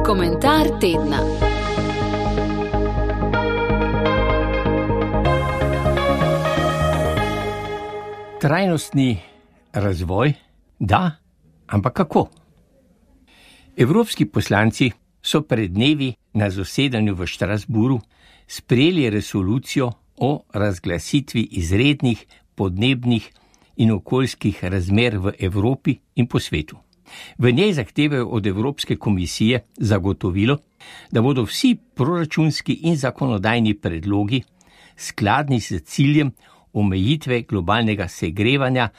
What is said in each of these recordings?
Komentar tedna. Trajnostni razvoj, da, ampak kako? Evropski poslanci so pred dnevi na zasedanju v Strasbourgu sprejeli resolucijo o razglasitvi izrednih podnebnih in okoljskih razmer v Evropi in po svetu. V njej zahtevajo od Evropske komisije zagotovilo, da bodo vsi proračunski in zakonodajni predlogi skladni s ciljem omejitve globalnega segrevanja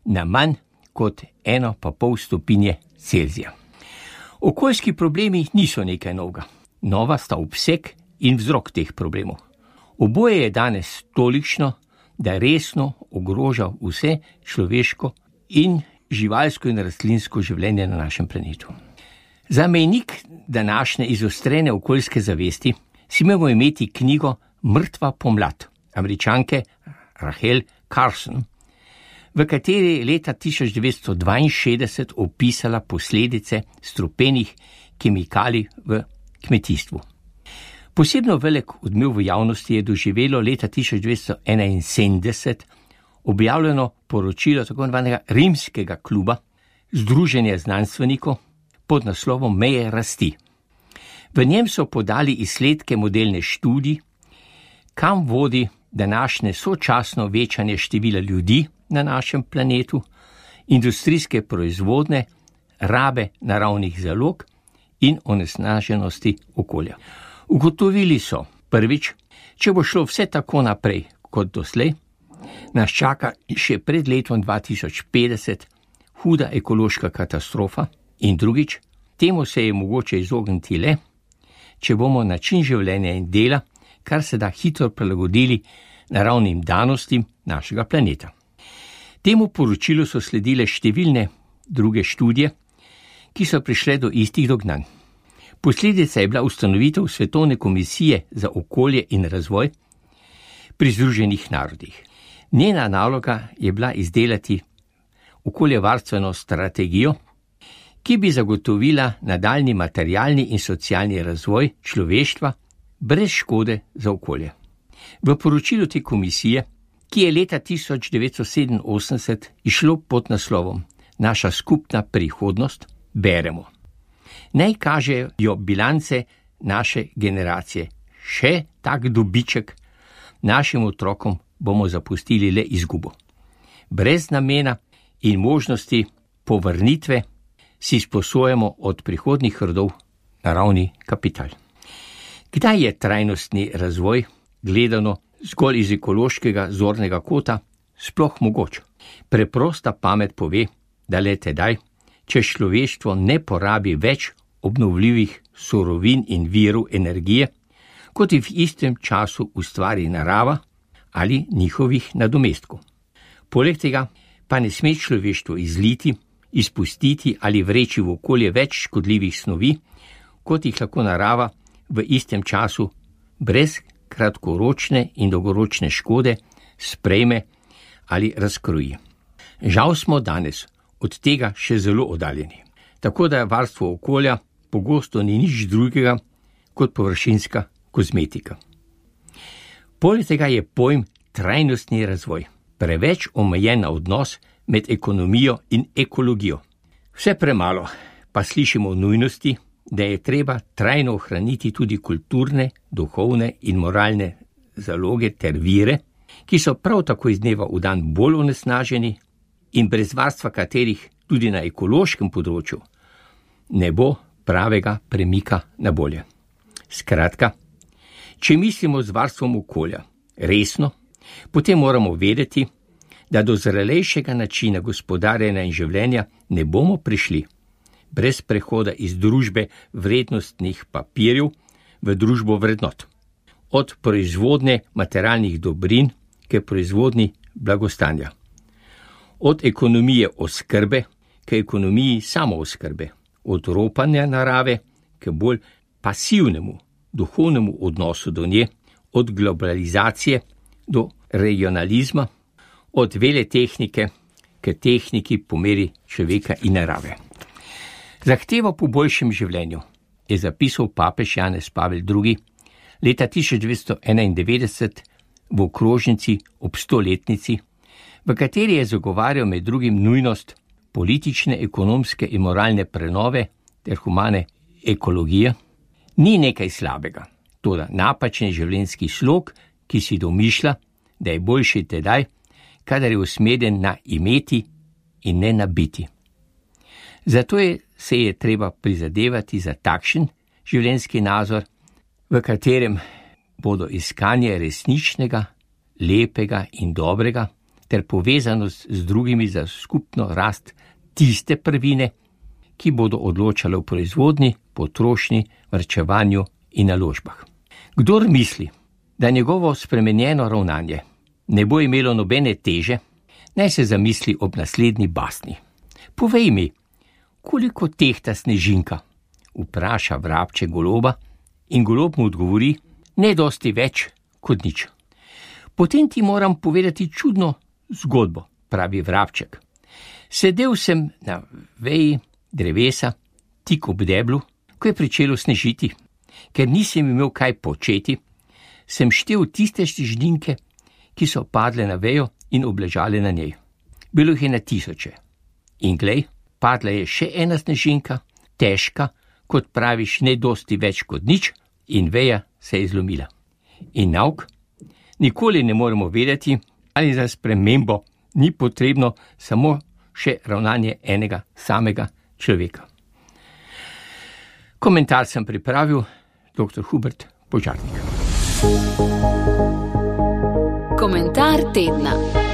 na manj kot 1,5 stopinje Celzija. Okoljski problemi niso nekaj novega. Nova sta obseg in vzrok teh problemov. Oboje je danes tolikšno, da resno ogroža vse človeško in živalsko in rastlinsko življenje na našem planetu. Za mejnik današnje izostrene okoljske zavesti si moramo imeti knjigo Mrtva pomlad Američanke Rachel Carson, v kateri je leta 1962 opisala posledice strupenih kemikalij v kmetijstvu. Posebno velik odmev v javnosti je doživelo leta 1971 objavljeno poročilo tako imenovanega Rimskega kluba, Združenja znanstvenikov pod naslovom Meje rasti. V njem so podali izsledke modelne študij, kam vodi današnje sočasno večanje števila ljudi na našem planetu, industrijske proizvodne, rabe naravnih zalog in onesnaženosti okolja. Ugotovili so, prvič, če bo šlo vse tako naprej kot doslej, nas čaka še pred letom 2050 huda ekološka katastrofa in drugič, temu se je mogoče izogniti le, če bomo način življenja in dela kar se da hitro prilagodili naravnim danostim našega planeta. Temu poročilu so sledile številne druge študije, ki so prišle do istih dognanj. Posledica je bila ustanovitev Svetovne komisije za okolje in razvoj pri Združenih narodih. Njena naloga je bila izdelati okoljevarstveno strategijo, ki bi zagotovila nadaljnji materialni in socialni razvoj človeštva brez škode za okolje. V poročilu te komisije, ki je leta 1987 išlo pod naslovom Naša skupna prihodnost, beremo: naj kažejo bilance naše generacije. Še tak dobiček, našim otrokom bomo zapustili le izgubo. Brez namena in možnosti povrnitve si sposojamo od prihodnjih rodov naravni kapital. Kdaj je trajnostni razvoj, gledano zgolj iz ekološkega zornega kota, sploh mogoč? Preprosta pamet pove, da le tedaj, če človeštvo ne porabi več obnovljivih surovin in virov energije, kot jih v istem času ustvari narava ali njihovih nadomestkov. Poleg tega pa ne sme človeštvo izliti, izpustiti ali vreči v okolje več škodljivih snovi, kot jih lahko narava v istem času brez kratkoročne in dolgoročne škode sprejme ali razkroji. Žal smo danes od tega še zelo oddaljeni. Tako da varstvo okolja pogosto ni nič drugega kot površinska kozmetika. Poleg tega je pojem trajnostni razvoj preveč omejen na odnos med ekonomijo in ekologijo. Vse premalo pa slišimo o nujnosti, da je treba trajno ohraniti tudi kulturne, duhovne in moralne zaloge ter vire, ki so prav tako iz dneva v dan bolj onesnaženi in brez varstva katerih tudi na ekološkem področju ne bo pravega premika na bolje. Skratka, če mislimo z varstvom okolja resno, potem moramo vedeti, da do zrelejšega načina gospodarjenja in življenja ne bomo prišli brez prehoda iz družbe vrednostnih papirjev v družbo vrednot. Od proizvodne materialnih dobrin k proizvodni blagostanja. Od ekonomije oskrbe k ekonomiji samooskrbe. Od ropanja narave k bolj pasivnemu, duhovnemu odnosu do nje. Od globalizacije do regionalizma. Od veletehnike k tehniki po meri človeka in narave. Zahtevo po boljšem življenju je zapisal papež Janez Pavel II. Leta 1991 v okrožnici ob 100-letnici, v kateri je zagovarjal med drugim nujnost politične, ekonomske in moralne prenove ter humane ekologije. Ni nekaj slabega, toda napačen življenjski slog, ki si domišlja, da je boljši tedaj, kadar je usmerjen na imeti in ne na biti. Zato se je treba prizadevati za takšen življenjski nazor, v katerem bodo iskanje resničnega, lepega in dobrega ter povezanost z drugimi za skupno rast tiste prvine, ki bodo odločale v proizvodnji, potrošnji, varčevanju in naložbah. Kdor misli, da njegovo spremenjeno ravnanje ne bo imelo nobene teže, naj se zamisli ob naslednji basni. Povej mi, koliko tehta snežinka? Vpraša vrabče goloba in golob mu odgovori, ne dosti več kot nič. Potem ti moram povedati čudno zgodbo, pravi vrabček. Sedel sem na veji drevesa, tik ob deblu, ko je pričelo snežiti. Ker nisem imel kaj početi, sem štel tiste snežinke, ki so padle na vejo in obležale na njej. Bilo jih je na tisoče. In glej, padla je še ena snežinka, težka, kot praviš, ne dosti več kot nič, in veja se je zlomila. In nauk, nikoli ne moremo vedeti, ali za spremembo ni potrebno samo še ravnanje enega samega človeka. Komentar sem pripravil dr. Hubert Požarnik. Komentar tedna.